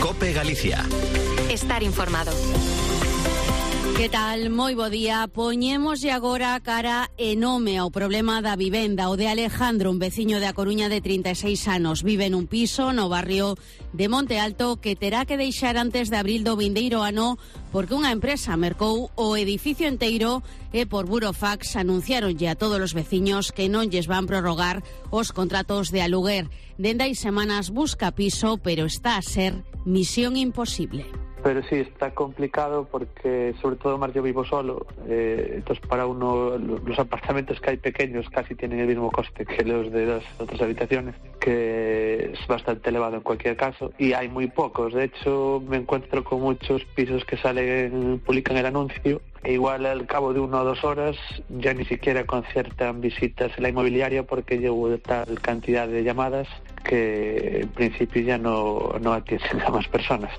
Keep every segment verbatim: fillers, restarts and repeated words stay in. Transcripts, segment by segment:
COPE Galicia. Estar informado. Que tal? Moi bo día. Poñémoslle agora a cara e nome ao problema da vivenda. O de Alejandro, un veciño de A Coruña de trinta e seis anos, vive nun piso no barrio de Monte Alto que terá que deixar antes de abril do vindeiro ano porque unha empresa mercou o edificio enteiro e por burofax anunciaronlle a todos os veciños que non lles van prorrogar os contratos de aluguer. Dende hai semanas busca piso, pero está a ser misión imposible. Pero sí, está complicado porque sobre todo más yo vivo solo, eh, entonces para uno los apartamentos que hay pequeños casi tienen el mismo coste que los de las otras habitaciones, que es bastante elevado en cualquier caso, y hay muy pocos. De hecho, me encuentro con muchos pisos que salen, publican el anuncio, e igual al cabo de una o dos horas ya ni siquiera conciertan visitas en la inmobiliaria porque llevo tal cantidad de llamadas que en principio ya no, no atienden a más personas.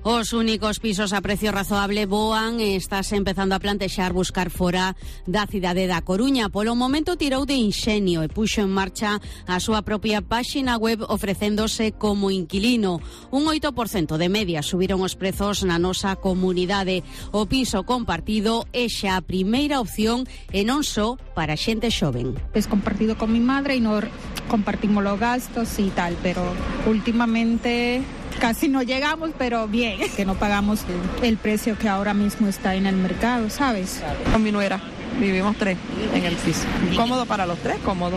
Os únicos pisos a precio razoable voan e estás empezando a plantexar buscar fora da cidade da Coruña. Polo momento tirou de inxenio e puxo en marcha a súa propia páxina web ofrecéndose como inquilino. Un oito por cento de media subiron os prezos na nosa comunidade. O piso compartido é xa a primeira opción e non só para xente xoven. Es compartido con mi madre y no compartimos los gastos y tal, pero últimamente casi no llegamos, pero bien, que no pagamos el precio que ahora mismo está en el mercado, ¿sabes? Con mi nuera, vivimos tres en el piso. ¿Cómodo para los tres? Cómodo.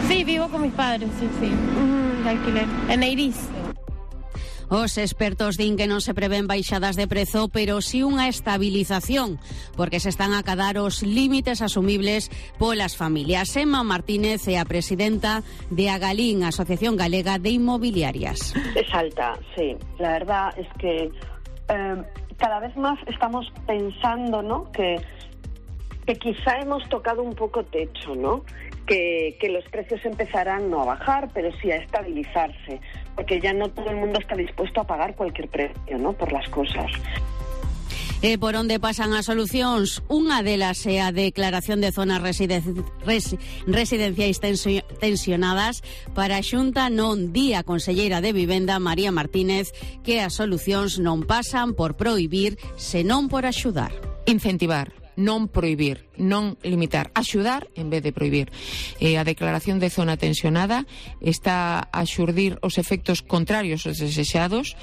Sí, vivo con mis padres, sí, sí. Uh-huh, alquiler. En Eiris. Os expertos din que non se prevén baixadas de prezo, pero sí unha estabilización, porque se están a acadar os límites asumibles polas familias. Emma Martínez é a presidenta de Agalín, Asociación Galega de Inmobiliarias. Es alta, sí. La verdad es que eh, cada vez más estamos pensando, ¿no?, que, que quizá hemos tocado un poco techo, ¿no?, que, que los precios empezarán no a bajar, pero sí a estabilizarse, porque ya no todo el mundo está dispuesto a pagar cualquier precio, ¿no?, por las cosas. E por onde pasan as solucións? Unha delas é a declaración de zonas residen- res- residenciais tensi- tensionadas. Para a Xunta non di a conselleira de Vivenda, María Martínez, que as solucións non pasan por prohibir, senón por axudar. Incentivar, non prohibir, non limitar, axudar en vez de prohibir. Eh, a declaración de zona tensionada está a xurdir os efectos contrarios aos desexados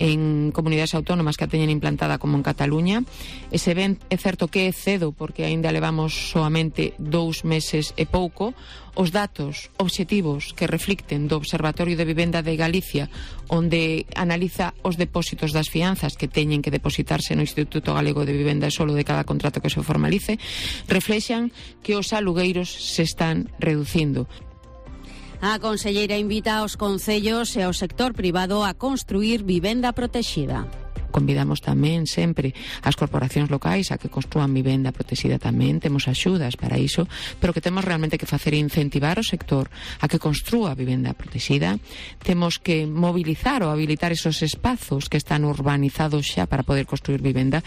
en comunidades autónomas que a teñen implantada como en Cataluña. E se ven, é certo que é cedo porque aínda levamos soamente dous meses e pouco. Os datos obxectivos que reflicten do Observatorio de Vivenda de Galicia, onde analiza os depósitos das fianzas que teñen que depositarse no Instituto Galego de Vivenda e solo de cada contrato que se formalice, reflexan que os alugueiros se están reducindo. A conselleira invita aos concellos e ao sector privado a construir vivenda protexida. Convidamos tamén sempre as corporacións locais a que construan vivenda protexida tamén, temos axudas para iso, pero que temos realmente que facer é incentivar o sector a que construa vivenda protexida. Temos que mobilizar ou habilitar esos espazos que están urbanizados xa para poder construir vivenda.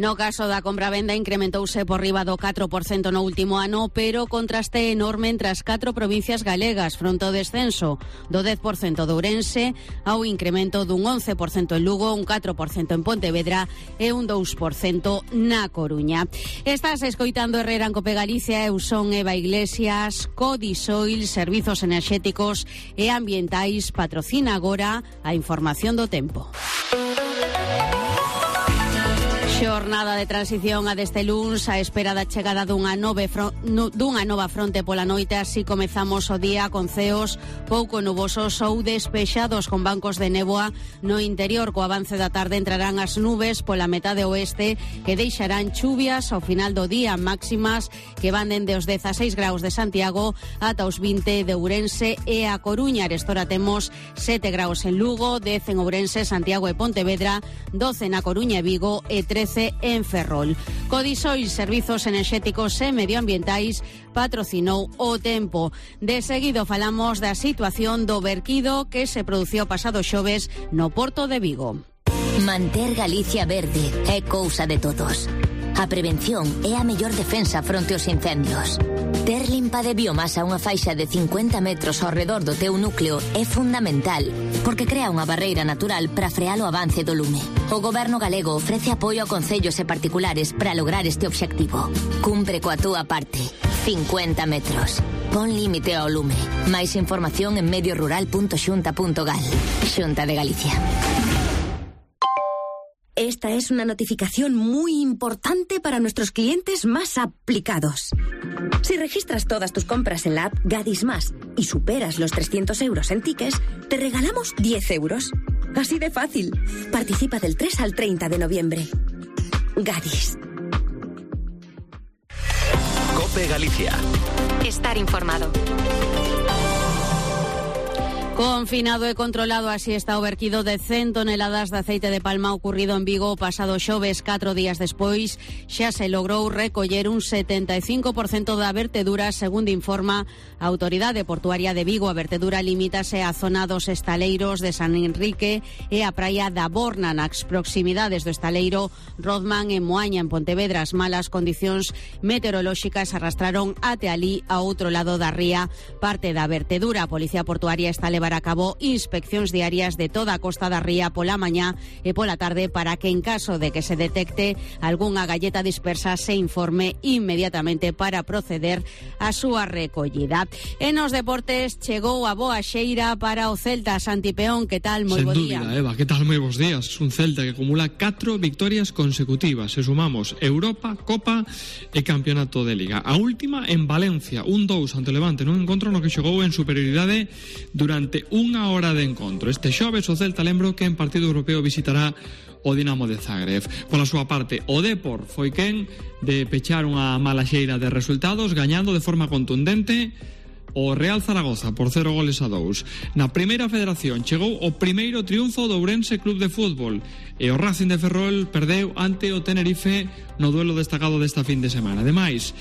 No caso da compra-venda incrementouse por riba do catro por cento no último ano, pero contraste enorme entre as catro provincias galegas, fronte ao descenso do dez por cento de Ourense ao incremento dun once por cento en Lugo, un catro por cento en Pontevedra e un dous por cento na Coruña. Estás escoitando Herrera en Cope Galicia, eu son Eva Iglesias. Codisoil, Servizos Enerxéticos e Ambientais, patrocina agora a información do tempo. Xornada de transición a deste luns á espera da chegada dunha, nove fron, nu, dunha nova fronte pola noite. Así comezamos o día con ceos pouco nubosos ou despexados con bancos de néboa no interior. Co avance da tarde entrarán as nubes pola metade oeste que deixarán chuvias ao final do día, máximas que van dende os dezaseis graus de Santiago ata os vinte de Ourense e a Coruña. Arestora temos sete graus en Lugo, dez en Ourense, Santiago e Pontevedra, doce na Coruña e Vigo e trece en Ferrol. Codisoil, Servizos Enerxéticos e Medioambientais, patrocinou o tempo. De seguido falamos da situación do verquido que se produciu pasado xoves no Porto de Vigo. Manter Galicia verde é cousa de todos. A prevención é a mellor defensa fronte aos incendios. Ter limpa de biomasa unha faixa de cincuenta metros ao redor do teu núcleo é fundamental, porque crea unha barreira natural para frear o avance do lume. O Goberno galego ofrece apoio a concellos e particulares para lograr este obxectivo. Cumpre coa túa parte. cincuenta metros. Pon límite ao lume. Máis información en medio rural punto xunta punto gal. Xunta de Galicia. Esta es una notificación muy importante para nuestros clientes más aplicados. Si registras todas tus compras en la app Gadis Más y superas los trescientos euros en tickets, te regalamos diez euros. Así de fácil. Participa del tres al treinta de noviembre. Gadis. COPE Galicia. Estar informado. Confinado e controlado, así está o vertido de cen toneladas de aceite de palma ocurrido en Vigo o pasado xoves. Catro días despois xa se logrou recoller un setenta e cinco por cento da vertedura, segundo informa a Autoridade Portuaria de Vigo. A vertedura limítase á zona dos estaleiros de San Enrique e a praia da Borna, nas proximidades do estaleiro Rodman en Moaña, en Pontevedra. As malas condicións meteorolóxicas arrastraron até alí, a outro lado da ría, parte da vertedura. A Policía Portuaria está a levar a cabo inspeccións diarias de toda a costa da ría pola mañá e pola tarde para que, en caso de que se detecte algunha galleta dispersa, se informe inmediatamente para proceder á súa recollida. E nos deportes chegou a boa xeira para o Celta. Santi Peón, que tal? Moi bo día. Sen dúbida, Eva, que tal? Moi bons días. Un Celta que acumula catro victorias consecutivas. Se sumamos Europa, Copa e Campeonato de Liga. A última en Valencia, un dous ante o Levante, nun encontro no que xogou en superioridade durante unha hora de encontro. Este xoves o Celta, lembro que en partido europeo visitará o Dinamo de Zagreb. Pola súa parte, o Depor foi quen de pechar unha mala xeira de resultados, gañando de forma contundente o Real Zaragoza por cero goles a dous. Na primeira federación chegou o primeiro triunfo do Ourense Club de Fútbol e o Racing de Ferrol perdeu ante o Tenerife no duelo destacado desta fin de semana. Ademais,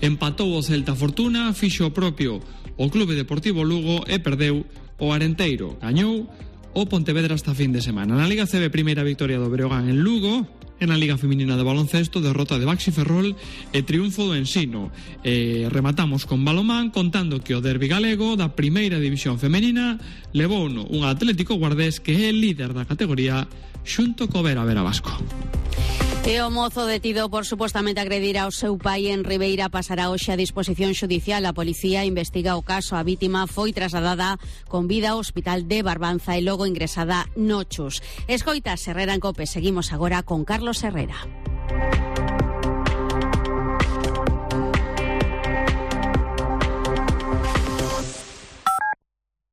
empatou o Celta Fortuna, fixo o propio o Clube Deportivo Lugo e perdeu o Arenteiro. Gañou o Pontevedra esta fin de semana. Na Liga C B, primeira victoria do Breogán en Lugo. En a Liga Feminina de Baloncesto, derrota de Baxi Ferrol e triunfo do Ensino. E rematamos con balomán contando que o derbi galego da primeira división femenina levouno un Atlético Guardés que é el líder da categoría xunto co Vera Vera Vasco. E o mozo detido por supostamente agredir ao seu pai en Ribeira pasará hoxe a disposición xudicial. A policía investiga o caso. A vítima foi trasladada con vida ao hospital de Barbanza e logo ingresada no Chus. Escoita Herrera en COPE. Seguimos agora con Carlos Herrera.